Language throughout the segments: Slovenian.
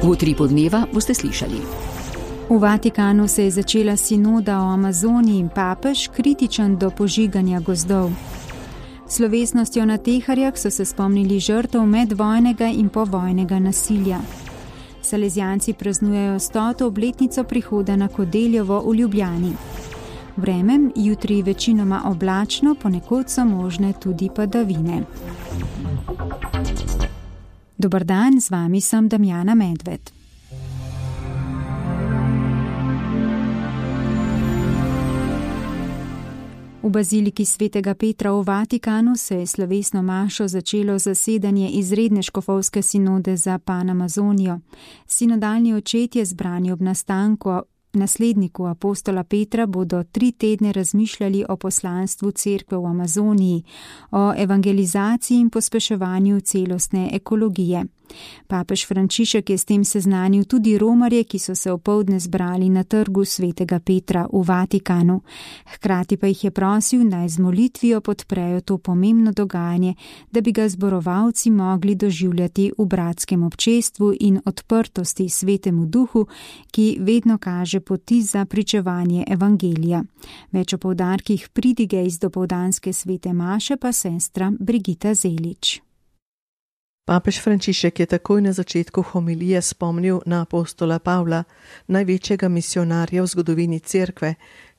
V Utripu dneva boste slišali. V Vatikanu se je začela sinoda o Amazoniji in papež kritičen do požiganja gozdov. Slovesnostjo na Teharjah so se spomnili žrtev medvojnega in povojnega nasilja. Salezijanci praznujejo 100. obletnico prihoda na Kodeljevo v Ljubljani. Vreme jutri večinoma oblačno, ponekod so možne tudi padavine. Dober dan, z vami sem Damjana Medved. V baziliki svetega Petra v Vatikanu se je slovesno mašo začelo zasedanje izredne škofovske sinode za Panamazonijo. Sinodalni očetje zbrani ob nasledniku apostola Petra bodo 3 tedne razmišljali o poslanstvu cerkve v Amazoniji, o evangelizaciji in pospeševanju celostne ekologije. Papež Frančišek je s tem seznanil tudi romarje, ki so se opoldne zbrali na trgu svetega Petra v Vatikanu. Hkrati pa jih je prosil, naj z molitvijo podprejo to pomembno dogajanje, da bi ga zborovalci mogli doživljati v bratskem občestvu in odprtosti svetemu duhu, ki vedno kaže poti za pričevanje evangelija. Več o poudarkih pridige iz dopoldanske svete maše pa sestra Brigita Zelič. Papež Frančišek je takoj na začetku homilije spomnil na apostola Pavla, največjega misionarja v zgodovini cerkve,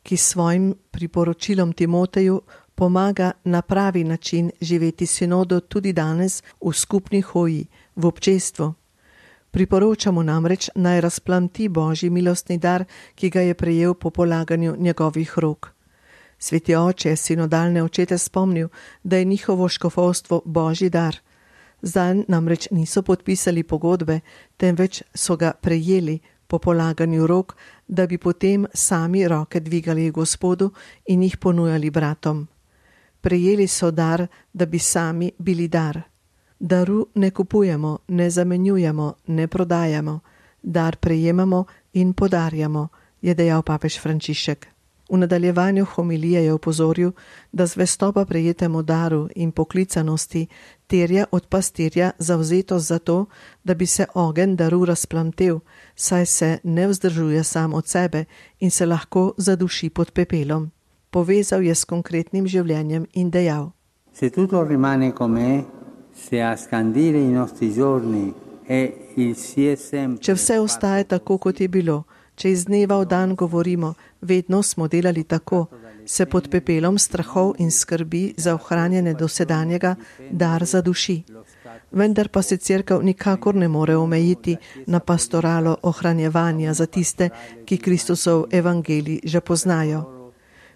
ki s svojim priporočilom Timoteju pomaga na pravi način živeti sinodo tudi danes v skupni hoji, v občestvu. Priporočamo namreč naj razplamti Božji milostni dar, ki ga je prejel po polaganju njegovih rok. Sveti oče je sinodalne očete spomnil, da je njihovo škofovstvo Božji dar. Zanj namreč niso podpisali pogodbe, temveč so ga prejeli po polaganju rok, da bi potem sami roke dvigali Gospodu in jih ponujali bratom. Prejeli so dar, da bi sami bili dar. Daru ne kupujemo, ne zamenjujemo, ne prodajamo. Dar prejemamo in podarjamo, je dejal papež Frančišek. V nadaljevanju homilije je opozoril, da zvestoba prejetemu daru in poklicanosti terja od pastirja zavzetost za to, da bi se ogenj daru razplamtel, saj se ne vzdržuje sam od sebe in se lahko zaduši pod pepelom. Povezal je s konkretnim življenjem in dejal: Se tutto rimane com'è, se a scandire i nostri giorni è il si è sempre. Če vse ostaje tako, kot je bilo, če iz dneva v dan govorimo, vedno smo delali tako, se pod pepelom strahov in skrbi za ohranjanje dosedanjega dar zaduši. Vendar pa se cerkev nikakor ne more omejiti na pastoralo ohranjevanja za tiste, ki Kristusov evangelij že poznajo.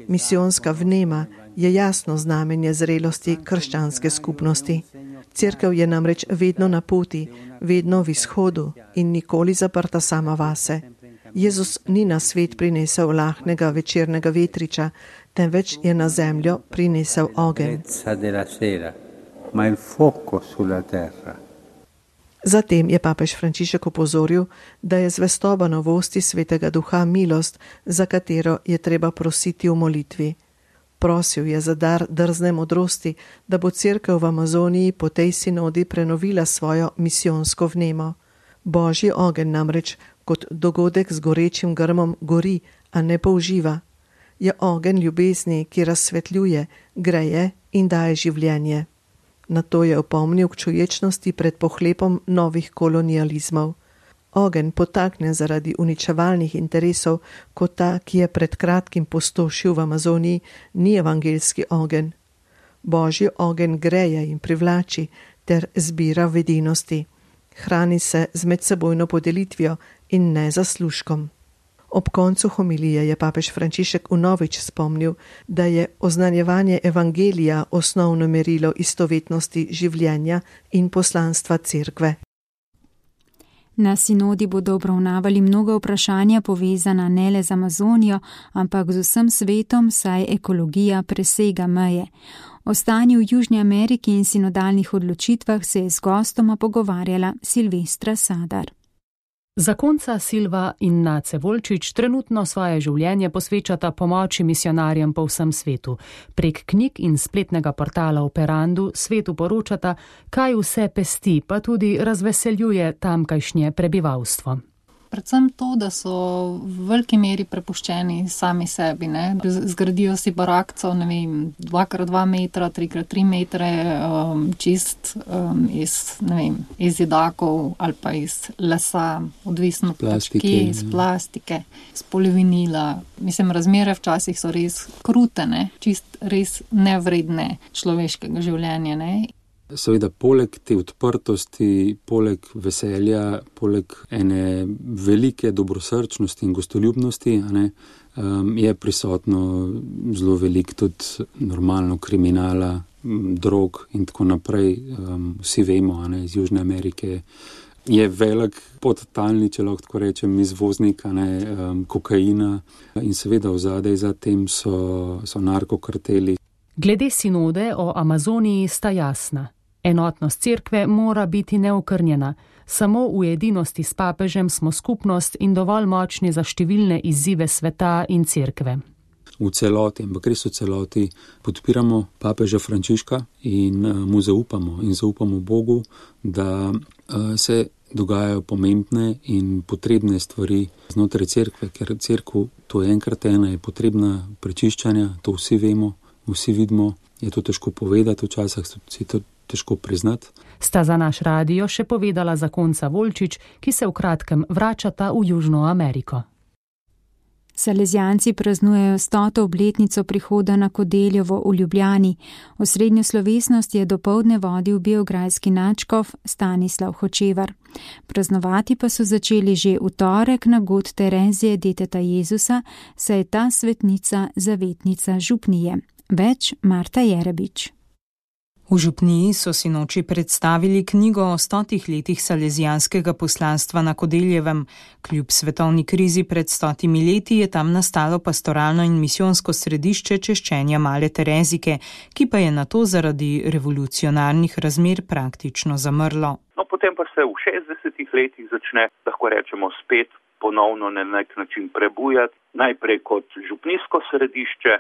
Misijonska vnema je jasno znamenje zrelosti krščanske skupnosti. Cerkev je namreč vedno na poti, vedno v izhodu in nikoli zaprta sama vase. Jezus ni na svet prinesel lahnega večernega vetriča, temveč je na zemljo prinesel ogenj. Zatem je papež Frančišek opozoril, da je zvestoba novosti svetega duha milost, za katero je treba prositi v molitvi. Prosil je za dar drzne modrosti, da bo cerkev v Amazoniji po tej sinodi prenovila svojo misijonsko vnemo. Božji ogenj namreč kot dogodek z gorečim grmom gori, a ne použiva. Je ogenj ljubezni, ki razsvetljuje, greje in daje življenje. Na to je opomnil k čuječnosti pred pohlepom novih kolonializmov. Ogenj potakne zaradi uničevalnih interesov, kot ta, ki je pred kratkim pustošil v Amazoniji, ni evangeljski ogenj. Božji ogenj greje in privlači ter zbira v edinosti. Hrani se z medsebojno podelitvijo in ne zaslužkom. Ob koncu homilije je papež Frančišek vnovič spomnil, da je oznanjevanje evangelija osnovno merilo istovetnosti življenja in poslanstva cerkve. Na sinodi bodo obravnavali mnoga vprašanja povezana ne le z Amazonijo, ampak z vsem svetom, saj ekologija presega meje. O stanju v Južni Ameriki in sinodalnih odločitvah se je z gostoma pogovarjala Silvestra Sadar. Zakonca Silva in Nace Volčič trenutno svoje življenje posvečata pomoči misionarjem po vsem svetu. Prek knjig in spletnega portala Operandu svetu poročata, kaj vse pesti, pa tudi razveseljuje tamkajšnje prebivalstvo. Predvsem to, da so v veliki meri prepuščeni sami sebi, ne. Zgradijo si barakco, 2x2 metra, 3x3 metre, iz zidakov ali pa iz lesa, odvisno iz plastike, iz polivinila. Razmere včasih so res krute, ne, res nevredne človeškega življenja, ne. Seveda, poleg te odprtosti, poleg veselja, poleg ene velike dobrosrčnosti in gostoljubnosti, je prisotno zelo veliko tudi normalno kriminala, drog in tako naprej. Vsi vemo, iz Južne Amerike je velik podtalni, če lahko tako rečem, izvoznik kokaina in seveda vzadej za tem so narkokarteli. Glede sinode o Amazoniji sta jasna. Enotnost cerkve mora biti neokrnjena. Samo v edinosti s papežem smo skupnost in dovolj močni za številne izzive sveta in cerkve. V celoti, ampak res v celoti podpiramo papeža Frančiška in mu zaupamo Bogu, da se dogajajo pomembne in potrebne stvari znotraj cerkve, ker cerkev, to je enkrat ena, je potrebna prečiščanja, to vsi vemo, vsi vidimo, je to težko povedati, včasih si to težko priznati. Sta za naš radio še povedala zakonca Volčič, ki se v kratkem vračata v Južno Ameriko. Salezijanci praznujejo 100. obletnico prihoda na Kodeljevo v Ljubljani. Osrednjo slovesnost je dopoldne vodil beograjski nadškof Stanislav Hočevar. Praznovati pa so začeli že v torek na god Terezije deteta Jezusa, saj je ta svetnica zavetnica župnije. Več Marta Jerebič. V župniji so sinoči predstavili knjigo o 100 letih salezijanskega poslanstva na Kodeljevem. Kljub svetovni krizi pred 100 leti je tam nastalo pastoralno in misijonsko središče češčenja Male Terezike, ki pa je nato zaradi revolucionarnih razmer praktično zamrlo. Potem pa se v 60 letih začne, lahko rečemo, spet ponovno na nek način prebujati, najprej kot župnijsko središče,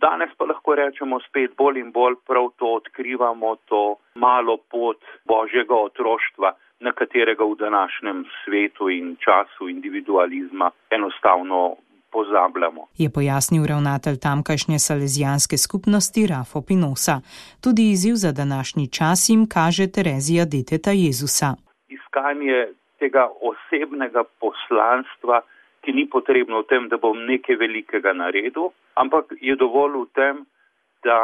danes pa lahko rečemo spet bolj in bolj prav to odkrivamo, to malo pot božjega otroštva, na katerega v današnjem svetu in času individualizma enostavno pozabljamo. Je pojasnil ravnatelj tamkajšnje salezijanske skupnosti Rafo Pinosa. Tudi izziv za današnji čas jim kaže Terezija deteta Jezusa. Iskanje tega osebnega poslanstva, ki ni potrebno v tem, da bom nekaj velikega naredil, ampak je dovolj v tem, da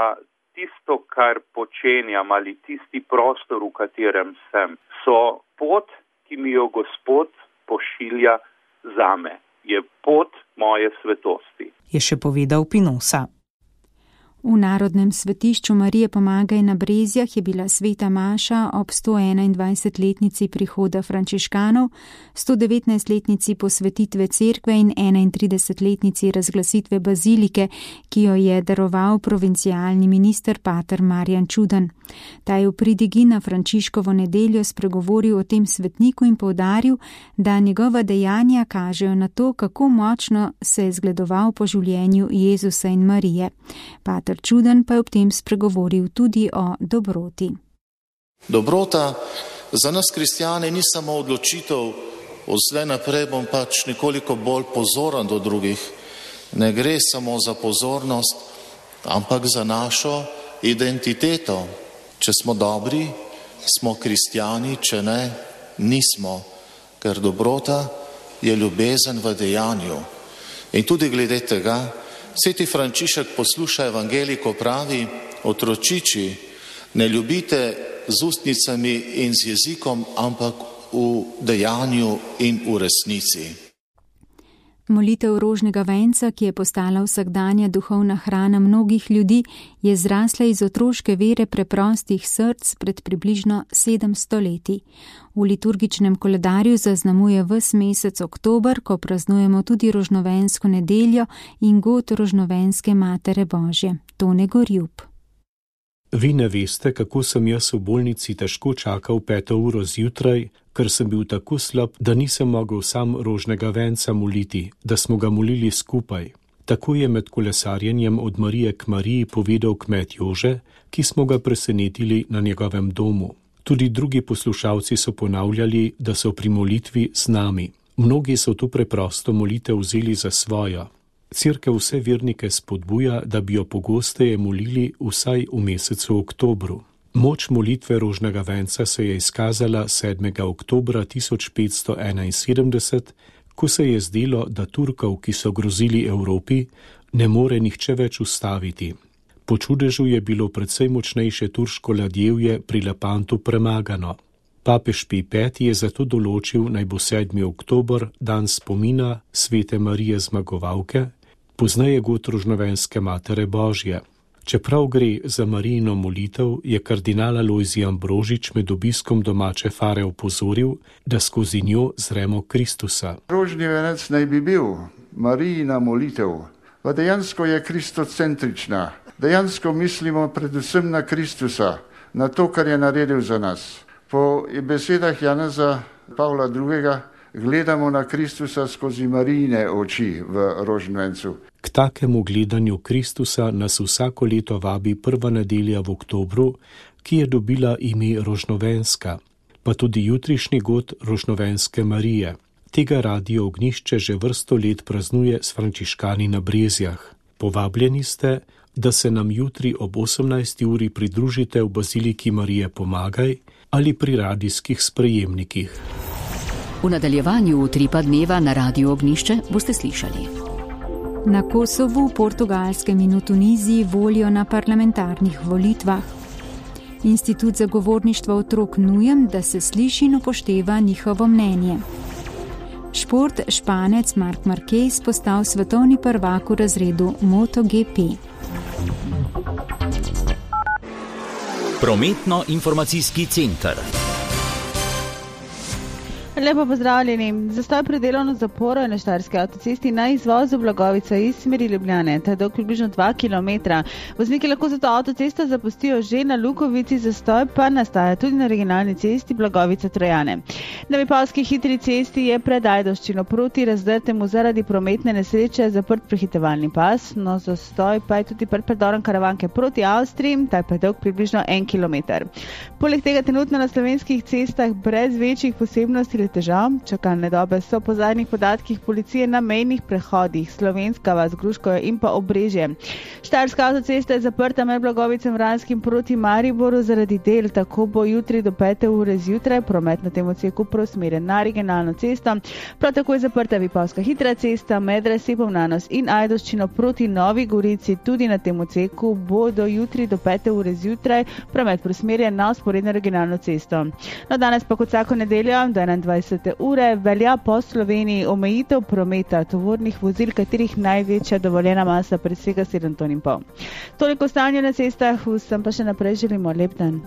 tisto, kar počenjam ali tisti prostor, v katerem sem, so pot, ki mi jo Gospod pošilja zame. Je pot moje svetosti. Je še povedal Pinosa. V Narodnem svetišču Marije Pomagaj na Brezjah je bila sveta maša ob 121-letnici prihoda frančiškanov, 119-letnici posvetitve cerkve in 31-letnici razglasitve bazilike, ki jo je daroval provincialni minister pater Marjan Čudan. Ta je v pridigi na Frančiškovo nedeljo spregovoril o tem svetniku in poudaril, da njegova dejanja kažejo na to, kako močno se je zgledoval po življenju Jezusa in Marije. Pater Čudan pa je ob tem spregovoril tudi o dobroti. Dobrota za nas kristjane ni samo odločitev, odslej naprej bom pač nekoliko bolj pozoren do drugih. Ne gre samo za pozornost, ampak za našo identiteto. Če smo dobri, smo kristjani, če ne, nismo, ker dobrota je ljubezen v dejanju. In tudi glede tega, sveti Frančišek posluša evangeliko pravi, otročiči, ne ljubite z ustnicami in z jezikom, ampak v dejanju in v resnici. Molitev rožnega venca, ki je postala vsakdanja duhovna hrana mnogih ljudi, je zrasla iz otroške vere preprostih src pred približno 700 leti. V liturgičnem koledarju zaznamuje ves mesec oktober, ko praznujemo tudi rožnovensko nedeljo in god rožnovenske Matere Božje. Tone Gorjub. Vi ne veste, kako sem jaz v bolnici težko čakal 5 uro zjutraj, ker sem bil tako slab, da nisem mogel sam rožnega venca moliti, da smo ga molili skupaj. Tako je med kolesarjenjem od Marije k Mariji povedal kmet Jože, ki smo ga presenetili na njegovem domu. Tudi drugi poslušalci so ponavljali, da so pri molitvi z nami. Mnogi so tu preprosto molitev vzeli za svojo. Cerkev vse vernike spodbuja, da bi jo pogosteje molili vsaj v mesecu oktobru. Moč molitve rožnega venca se je izkazala 7. oktobra 1571, ko se je zdelo, da Turkov, ki so grozili Evropi, ne more nihče več ustaviti. Po čudežu je bilo precej močnejše turško ladjevje pri Lepantu premagano. Papež Pij V je zato določil, naj bo 7. oktober dan spomina svete Marije Zmagovalke, pozneje god rožnovenske Matere Božje. Čeprav gre za Marijino molitev, je kardinal Alojzij Ambrožič med obiskom domače Fare opozoril, da skozi njo zremo Kristusa. Rožni venec naj bi bil Marijina molitev, pa dejansko je kristocentrična. Dejansko mislimo predvsem na Kristusa, na to, kar je naredil za nas. Po besedah Janeza Pavla II. Gledamo na Kristusa skozi Marijine oči v rožnem vencu. K takemu gledanju Kristusa nas vsako leto vabi prva nedelja v oktobru, ki je dobila ime Rožnovenska, pa tudi jutrišnji god Rožnovenske Marije. Tega Radio Ognjišče že vrsto let praznuje s frančiškani na Brezjah. Povabljeni ste, da se nam jutri ob 18. uri pridružite v Baziliki Marije Pomagaj ali pri radijskih sprejemnikih. V nadaljevanju Utripa dneva na Radio Ognjišče boste slišali. Na Kosovu, Portugalskem in v Tuniziji volijo na parlamentarnih volitvah. Institut za govorništvo otrok nujem, da se sliši in upošteva njihovo mnenje. Šport, Španec Marc Marquez postal svetovni prvak v razredu MotoGP. Prometno-informacijski center. Lepo pozdravljeni. Zastoj pred delovno zaporo je na Štajerski avtocesti na izvozu Blagovica iz smeri Ljubljane, ta je dolg približno 2 km. Vozniki lahko zato avtocesto zapustijo že na Lukovici, zastoj pa nastaja tudi na regionalni cesti Blagovica-Trojane. Na Vipavski hitri cesti je pred Ajdovščino proti Razdrtemu zaradi prometne nesreče zaprt prehitevalni pas, no zastoj pa je tudi pred predorom Karavanke proti Avstriji, ta je dolg približno 1 km. Poleg tega trenutno na slovenskih cestah brez večjih posebnosti težav. Čakalne dobe so po zadnjih podatkih policije na mejnih prehodih Slovenska vas, Gruškovje in pa Obrežje. Štajerska avtocesta je zaprta med Blagovicem Vranskim proti Mariboru zaradi del, tako bo jutri do 5. ure zjutraj promet na tem odseku preusmerjen na regionalno cesto. Prav tako je zaprta Vipavska hitra cesta med Resepom na Nos in Ajdovščino proti Novi Gorici, tudi na tem odseku bo do jutri do 5. ure zjutraj promet preusmerjen na vzporedno regionalno cesto. No, danes pa kot vsako nedeljo do 21. ure velja po Sloveniji omejitev prometa tovornih vozil, katerih največja dovoljena masa presega 7,5 ton. Toliko stanja na cestah, vsem pa še naprej želimo lep dan.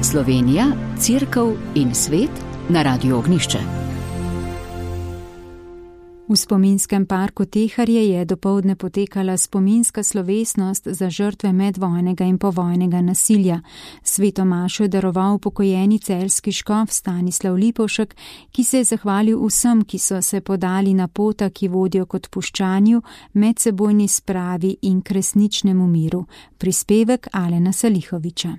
Slovenija, Cerkev in svet na Radio Ognjišče. V spominskem parku Teharje je dopoldne potekala spominska slovesnost za žrtve medvojnega in povojnega nasilja. Sveto mašo je daroval upokojeni celjski škof Stanislav Lipovšek, ki se je zahvalil vsem, ki so se podali na pota, ki vodijo k odpuščanju, medsebojni spravi in k resničnemu miru. Prispevek Alena Salihoviča.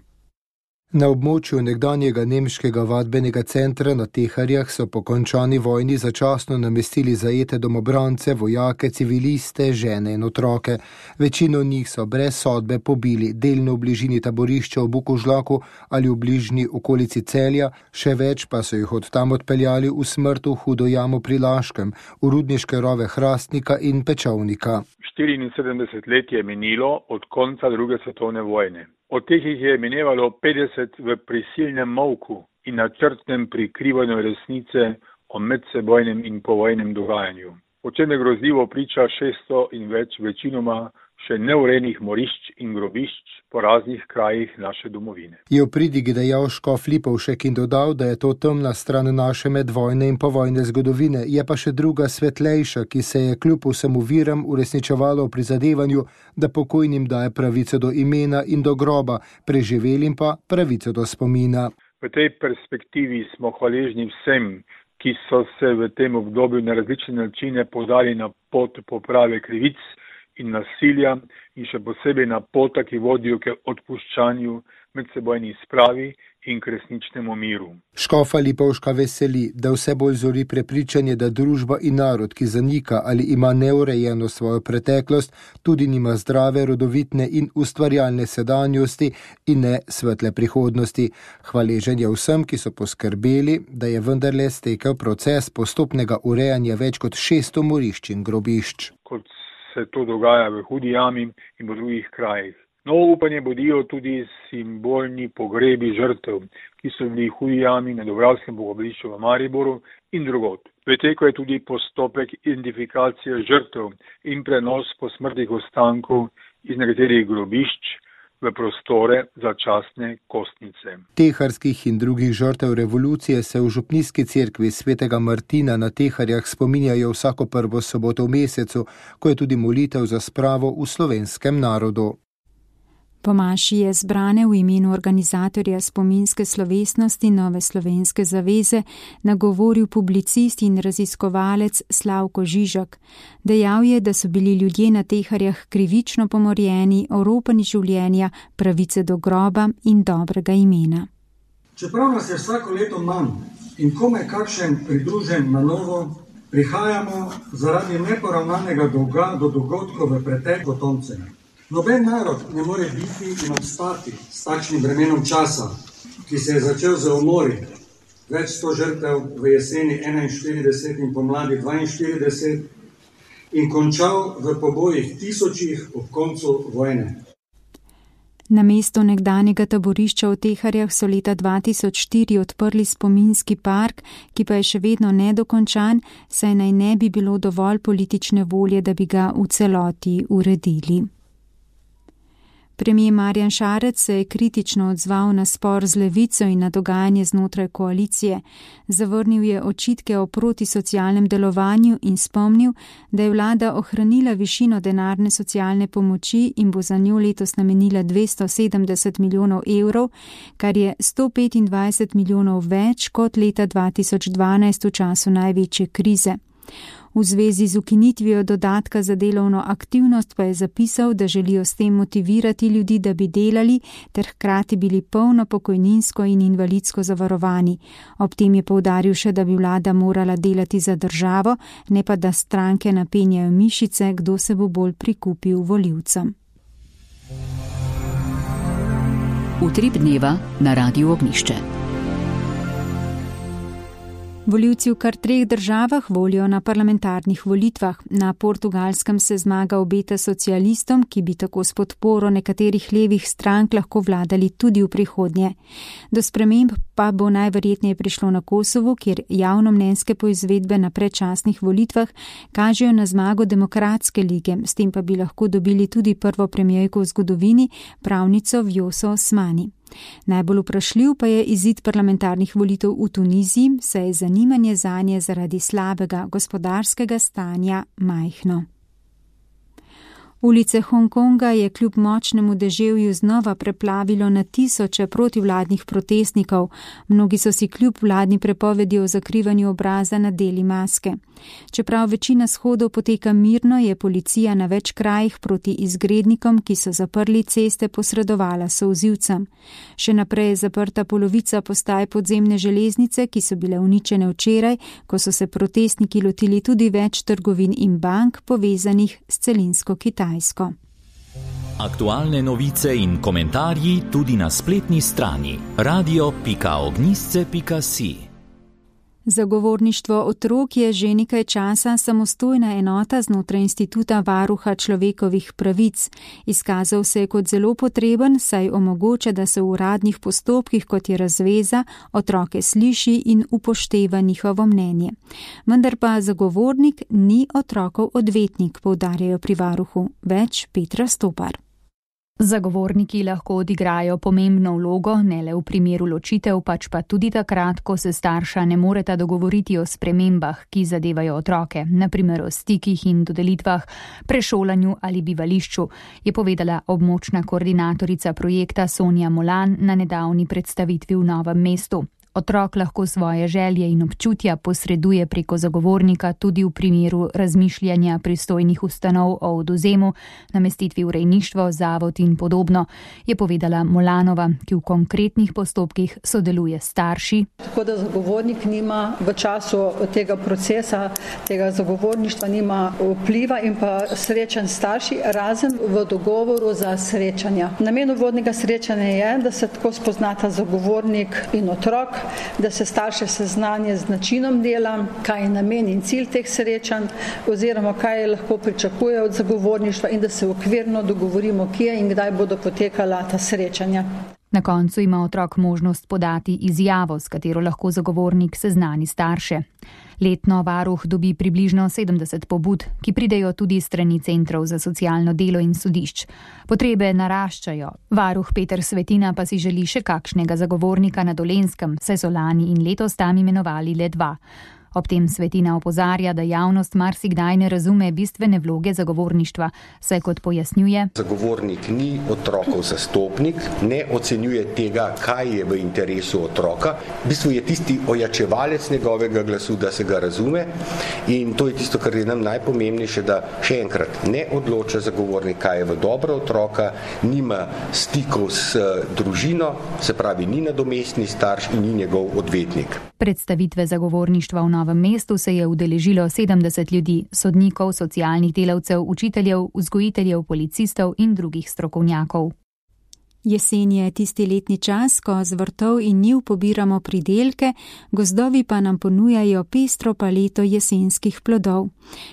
Na območju nekdanjega nemškega vadbenega centra na Teharjah so po končani vojni začasno namestili zajete domobrance, vojake, civiliste, žene in otroke. Večino njih so brez sodbe pobili, delno v bližini taborišča v Bukovžlaku ali v bližnji okolici Celja, še več pa so jih od tam odpeljali v smrt v Hudo jamo pri Laškem, v rudniške rove Hrastnika in Pečovnika. 74 let je minilo od konca druge svetovne vojne. Od teh jih je minevalo 50 v prisilnem molku in načrtnem prikrivanju resnice o medsebojnem in povojnem dogajanju. o čemer grozljivo priča 600 in več večinoma še neurejenih morišč in grobišč po raznih krajih naše domovine. Je v pridigi dejal škof Lipovšek in dodal, da je to temna stran naše medvojne in povojne zgodovine, je pa še druga svetlejša, ki se je kljub vsem oviram uresničevala v prizadevanju, da pokojnim daje pravico do imena in do groba, preživelim pa pravico do spomina. V tej perspektivi smo hvaležni vsem, ki so se v tem obdobju na različne načine podali na pot poprave krivic in nasilja in še posebej na pota, ki vodijo k odpuščanju, medsebojni spravi in k resničnemu miru. Škofa Lipovška veseli, da vse bolj zori prepričanje, da družba in narod, ki zanika ali ima neurejeno svojo preteklost, tudi nima zdrave, rodovitne in ustvarjalne sedanjosti in ne svetle prihodnosti. Hvaležen je vsem, ki so poskrbeli, da je vendarle stekel proces postopnega urejanja več kot 600 morišč in grobišč. Kot se to dogaja v Hudi jami in v drugih krajih. Novo upanje budijo tudi simbolni pogrebi žrtev, ki so bili v Hudi jami na Dubravskem pogrebališču v Mariboru in drugod. V teku je tudi postopek identifikacije žrtev in prenos posmrtnih ostankov iz nekaterih grobišč v prostore začasne kostnice. Teharskih in drugih žrtev revolucije se v župnijski cerkvi svetega Martina na Teharjah spominjajo vsako prvo soboto v mesecu, ko je tudi molitev za spravo v slovenskem narodu. Po maši je zbrane v imenu organizatorja spominske slovesnosti Nove slovenske zaveze nagovoril publicist in raziskovalec Slavko Žižek. Dejal je, da so bili ljudje na Teharjah krivično pomorjeni, oropani življenja, pravice do groba in dobrega imena. Čeprav nas je vsako leto manj in komaj kakšen pridružen na novo, prihajamo zaradi neporavnanega dolga do dogodkov v pretek potomcev. Noben narod ne more biti in obstati s takšnim bremenom časa, ki se je začel z umori, več 100 žrtev v jeseni 41 in pomladi 42 in končal v pobojih tisočih ob koncu vojne. Na mesto nekdanjega taborišča v Teharjah so leta 2004 odprli spominski park, ki pa je še vedno nedokončan, saj naj ne bi bilo dovolj politične volje, da bi ga v celoti uredili. Premier Marjan Šarec se je kritično odzval na spor z Levico in na dogajanje znotraj koalicije. Zavrnil je očitke o protisocialnem delovanju in spomnil, da je vlada ohranila višino denarne socialne pomoči in bo za njo letos namenila 270 milijonov evrov, kar je 125 milijonov več kot leta 2012 v času največje krize. V zvezi z ukinitvijo dodatka za delovno aktivnost pa je zapisal, da želijo s tem motivirati ljudi, da bi delali, ter hkrati bili polno pokojninsko in invalidsko zavarovani. Ob tem je poudaril še, da bi vlada morala delati za državo, ne pa da stranke napenjajo mišice, kdo se bo bolj prikupil volivcem. Utrip dneva na Radiu Ognjišče. Volivci v kar 3 državah volijo na parlamentarnih volitvah. Na Portugalskem se zmaga obeta socialistom, ki bi tako s podporo nekaterih levih strank lahko vladali tudi v prihodnje. Do sprememb pa bo najverjetneje prišlo na Kosovu, kjer javnomnenjske poizvedbe na predčasnih volitvah kažejo na zmago Demokratske lige, s tem pa bi lahko dobili tudi prvo premijerko v zgodovini, pravnico Vjoso Osmani. Najbolj vprašljiv pa je izid parlamentarnih volitev v Tuniziji, saj je zanimanje zanje zaradi slabega gospodarskega stanja majhno. Ulice Hongkonga je kljub močnemu deževju znova preplavilo na tisoče protivladnih protestnikov. Mnogi so si kljub vladni prepovedi o zakrivanju obraza nadeli maske. Čeprav večina shodov poteka mirno, je policija na več krajih proti izgrednikom, ki so zaprli ceste, posredovala solzivcem. Še naprej je zaprta polovica postaj podzemne železnice, ki so bile uničene včeraj, ko so se protestniki lotili tudi več trgovin in bank povezanih s celinsko Kitajsko. Aktualne novice in komentarji tudi na spletni strani radio.ognjišče.si. Zagovorništvo otrok je že nekaj časa samostojna enota znotraj Instituta varuha človekovih pravic. Izkazal se je kot zelo potreben, saj omogoča, da se v uradnih postopkih, kot je razveza, otroke sliši in upošteva njihovo mnenje. Vendar pa zagovornik ni otrokov odvetnik, poudarjajo pri varuhu. Več Petra Stopar. Zagovorniki lahko odigrajo pomembno vlogo, ne le v primeru ločitev, pač pa tudi takrat, ko se starša ne moreta dogovoriti o spremembah, ki zadevajo otroke, na primer o stikih in dodelitvah, prešolanju ali bivališču, je povedala območna koordinatorica projekta Sonja Molan na nedavni predstavitvi v Novem mestu. Otrok lahko svoje želje in občutja posreduje preko zagovornika tudi v primeru razmišljanja pristojnih ustanov o odvzemu, namestitvi v rejništvo, zavod in podobno, je povedala Molanova, ki v konkretnih postopkih sodeluje s starši. Tako da zagovornik nima v času tega procesa, tega zagovorništva nima vpliva in pa srečanj starši, razen v dogovoru za srečanja. Namen uvodnega srečanja je, da se tako spoznata zagovornik in otrok, da se starše seznanje z načinom dela, kaj je namen in cilj teh srečanj, oziroma kaj lahko pričakuje od zagovorništva in da se okvirno dogovorimo, kje in kdaj bodo potekala ta srečanja. Na koncu ima otrok možnost podati izjavo, s katero lahko zagovornik seznani starše. Letno varuh dobi približno 70 pobud, ki pridejo tudi strani centrov za socialno delo in sodišč. Potrebe naraščajo. Varuh Peter Svetina pa si želi še kakšnega zagovornika na Dolenjskem, saj so lani in letos tam imenovali le 2. Ob tem Svetina opozarja, da javnost marsikdaj ne razume bistvene vloge zagovorništva, saj kot pojasnjuje: zagovornik ni otrokov zastopnik, ne ocenjuje tega, kaj je v interesu otroka. V bistvu je tisti ojačevalec njegovega glasu, da se ga razume, in to je tisto, kar je nam najpomembnejše, da še enkrat ne odloča zagovornik, kaj je v dobro otroka, nima stikov s družino, se pravi, ni nadomestni starš in ni njegov odvetnik. Predstavitve zagovorništva v Novem mestu se je udeležilo 70 ljudi, sodnikov, socialnih delavcev, učiteljev, vzgojiteljev, policistov in drugih strokovnjakov. Jesen je tisti letni čas, ko z vrtov in njiv pobiramo pridelke, gozdovi pa nam ponujajo pestro paleto jesenskih plodov.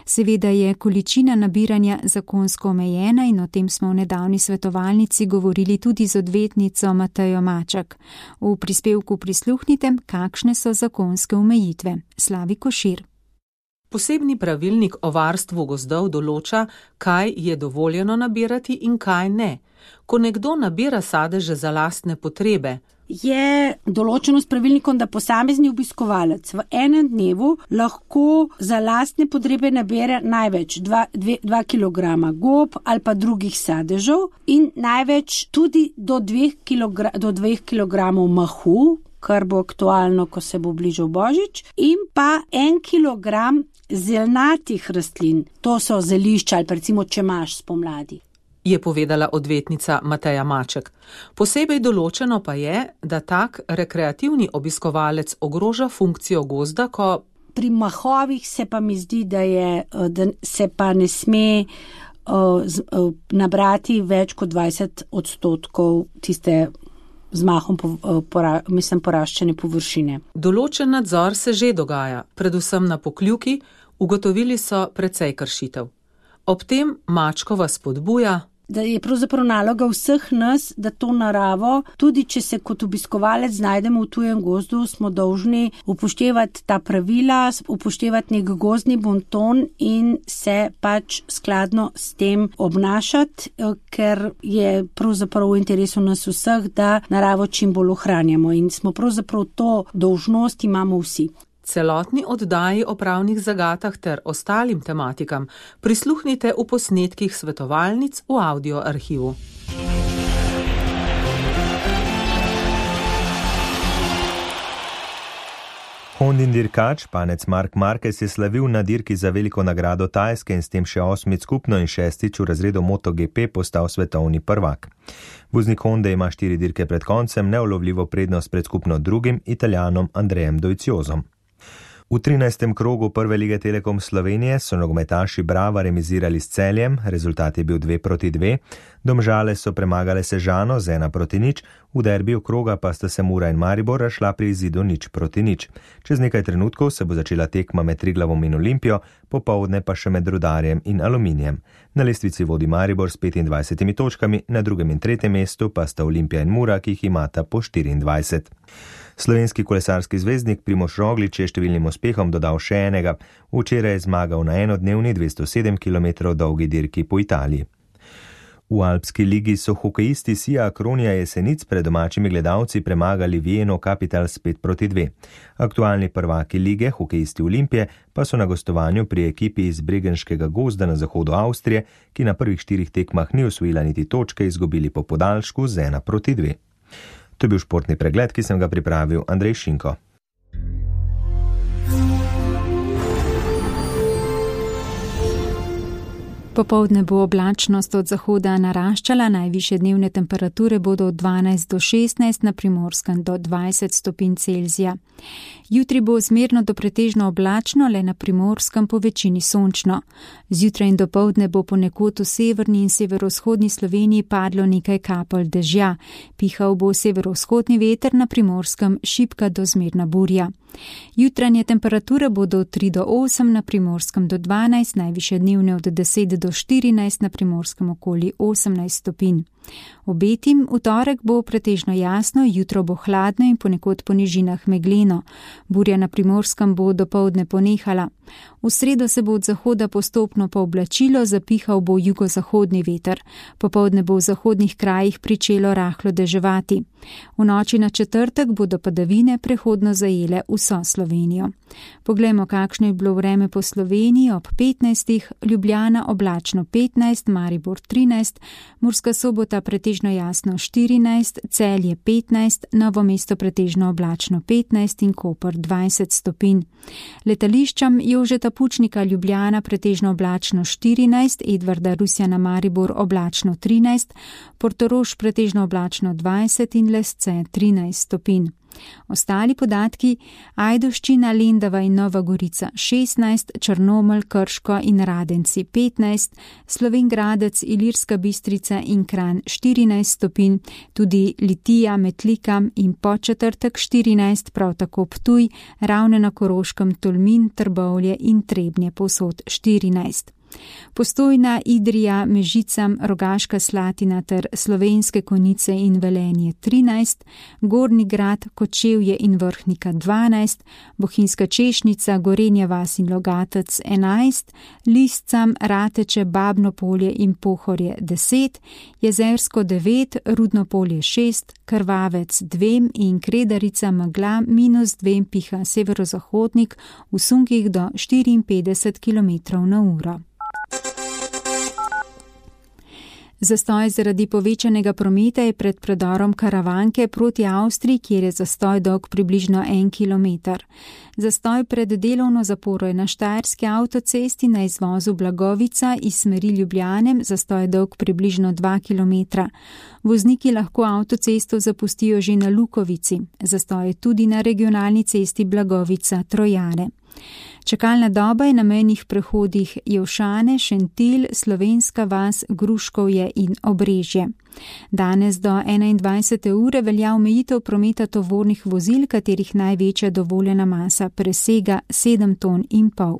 Seveda je količina nabiranja zakonsko omejena in o tem smo v nedavni svetovalnici govorili tudi z odvetnico Matejo Maček. V prispevku prisluhnite, kakšne so zakonske omejitve. Slavi Košir. Posebni pravilnik o varstvu gozdov določa, kaj je dovoljeno nabirati in kaj ne. Ko nekdo nabira sadeže za lastne potrebe, je določeno s pravilnikom, da posamezni obiskovalec v enem dnevu lahko za lastne potrebe nabere največ 2 kg gob ali pa drugih sadežev in največ tudi do 2 kg mahu, kar bo aktualno, ko se bo bližal Božič, in pa 1 kg zelnatih rastlin, to so zelišča ali pa recimo čemaž spomladi, je povedala odvetnica Mateja Maček. Posebej določeno pa je, da tak rekreativni obiskovalec ogroža funkcijo gozda, ko pri mahovih se pa mi zdi, da se pa ne sme nabrati več kot 20% tiste z mahom poraščene površine. Določen nadzor se že dogaja, predvsem na Pokljuki, ugotovili so precej kršitev. Ob tem Mačkova spodbuja, da je pravzaprav naloga vseh nas, da to naravo, tudi če se kot obiskovalec znajdemo v tujem gozdu, smo dolžni upoštevati ta pravila, upoštevati nek gozdni bonton in se pač skladno s tem obnašati, ker je pravzaprav v interesu nas vseh, da naravo čim bolj ohranjamo in smo pravzaprav to dolžnost imamo vsi. Celotni oddaji o pravnih zagatah ter ostalim tematikam prisluhnite v posnetkih svetovalnic v audio arhivu. Hondin dirkač, panec Mark Marquez, je slavil na dirki za veliko nagrado Tajske in s tem še 8 skupno in 6 v razredu MotoGP postal svetovni prvak. Voznik Honde ima 4 dirke pred koncem neulovljivo prednost pred skupno drugim Italijanom Andrejem Doviziosom. V 13. krogu prve lige Telekom Slovenije so nogometaši Brava remizirali s Celjem, rezultat je bil 2-2. Domžale so premagale Sežano z 1-0, v derbiju kroga pa sta se Mura in Maribor razšla pri izidu 0-0. Čez nekaj trenutkov se bo začela tekma med Triglavom in Olimpijo, popovdne pa še med Rudarjem in Aluminijem. Na lestvici vodi Maribor s 25 točkami, na drugem in tretjem mestu pa sta Olimpija in Mura, ki jih imata po 24. Slovenski kolesarski zvezdnik Primož Roglič je številnim uspehom dodal še enega. Včeraj je zmagal na enodnevni 207 km dolgi dirki po Italiji. V Alpski ligi so hokejisti Sija Akronija Jesenic pred domačimi gledalci premagali Vieno Capitals 5-2. Aktualni prvaki lige, hokejisti Olimpije, pa so na gostovanju pri ekipi iz Bregenškega gozda na zahodu Avstrije, ki na prvih 4 tekmah ni osvojila niti točke, izgubili po podaljšku z 1-2. To je bil športni pregled, ki sem ga pripravil Andrej Šinko. Popoldne bo oblačnost od zahoda naraščala, najvišje dnevne temperature bodo od 12 do 16, na Primorskem do 20 stopinj Celzija. Jutri bo zmerno do pretežno oblačno, le na Primorskem po večini sončno. Zjutraj in dopoldne bo ponekod v severni in severovzhodni Sloveniji padlo nekaj kapelj dežja. Pihal bo severovzhodni veter, na Primorskem šibka do zmerna burja. Jutranje temperature bodo od 3 do 8, na Primorskem do 12, najvišje dnevne od 10 do 14, na Primorskem okoli 18 stopinj. Obetim, v torek bo pretežno jasno, jutro bo hladno in ponekod po nižinah megleno. Burja na Primorskem bo dopoldne ponehala. V sredo se bo od zahoda postopno pooblačilo, zapihal bo jugozahodni veter. Popoldne bo v zahodnih krajih pričelo rahlo deževati. V noči na četrtek bodo padavine prehodno zajele vso Slovenijo. Poglejmo, kakšno je bilo vreme po Sloveniji ob 15. Ljubljana oblačno 15, Maribor 13, Murska Sobota pretežno jasno 14, Celje 15, Novo mesto pretežno oblačno 15 in Koper 20 stopinj. Letališčam Jožeta Pučnika Ljubljana pretežno oblačno 14, Edvarda Rusjana Maribor oblačno 13, Portorož pretežno oblačno 20 in Lesce 13 stopinj. Ostali podatki: Ajdovščina, Lendava in Nova Gorica 16, Črnomelj, Krško in Radenci 15, Slovenj Gradec, Ilirska Bistrica in Kranj 14 stopinj, tudi Litija, Metlika in Podčetrtek 14, prav tako Ptuj, Ravne na Koroškem, Tolmin, Trbovlje in Trebnje povsod 14. Postojna, Idrija, Mežica, Rogaška Slatina ter Slovenske Konjice in Velenje 13, Gornji Grad, Kočevje in Vrhnika 12, Bohinjska Češnica, Gorenja vas in Logatec 11, Lisca, Rateče, Babno Polje in Pohorje 10, Jezersko 9, Rudno Polje 6, Krvavec 2 in Kredarica Megla -2 piha severozahodnik, v sunkih do 54 km/h. Zastoj zaradi povečanega prometa je pred predorom Karavanke proti Avstriji, kjer je zastoj dolg približno 1 km. Zastoj pred delovno zaporo je na Štajerski avtocesti na izvozu Blagovica iz smeri Ljubljane, zastoj dolg približno 2 km. Vozniki lahko avtocesto zapustijo že na Lukovici, zastoj je tudi na regionalni cesti Blagovica-Trojane. Čakalna doba je na mejnih prehodih Jevšane, Šentilj, Slovenska vas, Gruškovje in Obrežje. Danes do 21. ure velja omejitev prometa tovornih vozil, katerih največja dovoljena masa presega 7,5 ton.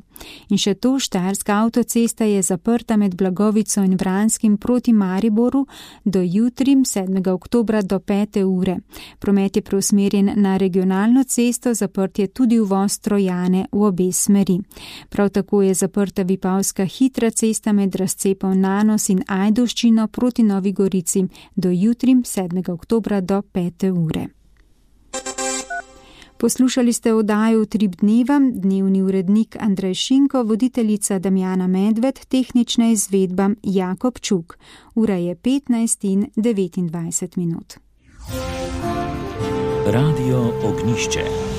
In še to, Štajerska avtocesta je zaprta med Blagovico in Vranskim proti Mariboru do jutri 7. oktobra do 5. ure. Promet je preusmerjen na regionalno cesto, zaprt je tudi uvoz Trojane v obe smeri. Prav tako je zaprta Vipavska hitra cesta med razcepom Nanos in Ajdovščino proti Novi Gorici do jutri 7. oktobra do 5. ure. Poslušali ste oddajo Utrip dneva, dnevni urednik Andrej Šinko, voditeljica Damjana Medved, tehnična izvedba Jakob Čuk. Ura je 15:29. Radio Ognjišče.